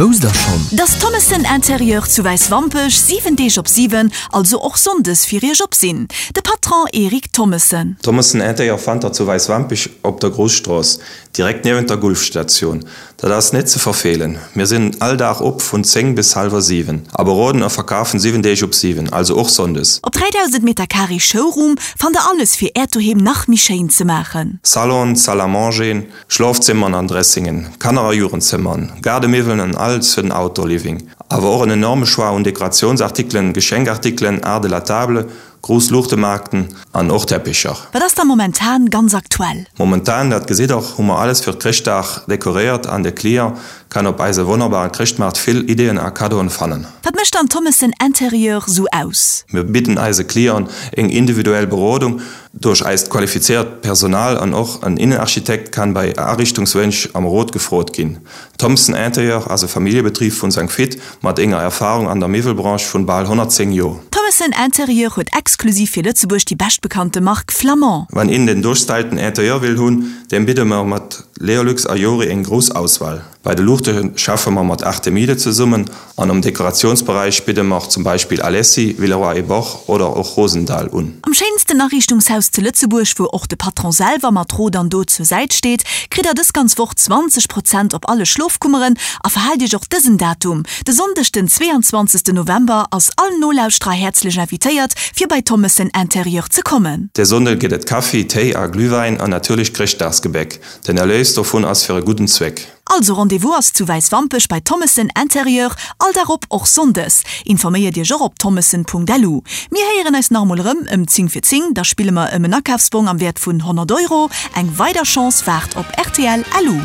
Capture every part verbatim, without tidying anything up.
Wousst der schonn? Dass Thommessen Interieur zu Wäiswampech siwen Deeg op siwen, also och sonndes fir Iech op sinn? De Patron Eric Thommessen. Thommessen Interieur fannt der zu Wäiswampech op der Grousstrooss, direkt niewent der Gulfstatioun. Dat ass net ze verfeelen. Mir sinn all Dag op vun zéng bis hallwer siwen a beroden a verkafen siwen Deeg op siwen, also och sonndes. Op dräidausend Meter Carré Showroom fannt der alles fir Äert Doheem nach méi schéin ze maachen. Salon, Salle à manger, Schlofzimmern an Dressingen, Kanner a Jugendzimmern, Gaardemiwwelen an alles fir den Outdoor-Living. Awer och en enorme Choix un Dekoratiounsartikelen, Geschenkartikelen, Art de la table, grouss Luuchtemaarkten an och Teppicher. Wat ass da momentan ganz aktuell? Momentan, dat gesitt der, hu mer alles fir Chrëschtdag dekoréiert an de Client kann op eise wonnerbaren Chrëschtmaart vill Ideeën a Kaddoen fannen. Wat mécht dann Thommessen Interieur sou aus? Mir bidden eise Clienten eng individuell Berodung duerch eist qualifizéiert Personal an och en Innenarchitekt kann bei Ariichtungswënsch am Rot gefrot ginn. Thommessen Interieur ass e Familljebetrib vun Sankt Vith mat enger Erfarung an der Miwwelbranche vun bal honnertzéng Joer. Thommessen Interieur huet exklusiv fir Lëtzebuerg déi beschtbekannte Mark Flamand. Wann een den duerchstylten Interieur will hunn, deem bidde mer mat Leolux a Jori eng grouss Auswahl. Bei de Luuchte schaffe mer mat Artemide zesummen an am Dekoratiounsberäich bidde mer zum Beispill Alessi, Villeroy et Boch oder och Rosendahl un. Am schéinsten Ariichtungshaus zu Lëtzebuerg, wou och de Patron selwer mat Rot an Dot zur Säit steet, kritt der dës ganz Woch zwanzeg Prozent op alle Schlofkummeren a verhaalt iech och dësen Datum, de Sonndeg den zweeanzwanzegsten November ass all Nolauschterer häerzlech invitéiert fir bei Thommessen Interieur ze kommen. De Sonndeg gëtt et Kaffi, Téi a Glühwäin an natierlech Chrëschtdagsgebäck. Den Erléis dovun ass fir e gudden Zweck. Also Rendez-vous ass zu Wäiswampech bei Thommessen Interieur, all Dag op, och Sonndes. Informéiert iech och op thommessen.lu. Mir héieren eis nach emol erëm ëm zéng vir zéng, da spille mer ëm en Akafsbong am Wäert vun honnert Euro. Eng weider Chance waart op rtl. Lu.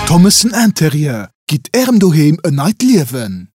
Thommessen Interieur, gitt ärem Doheem en neit Liewen!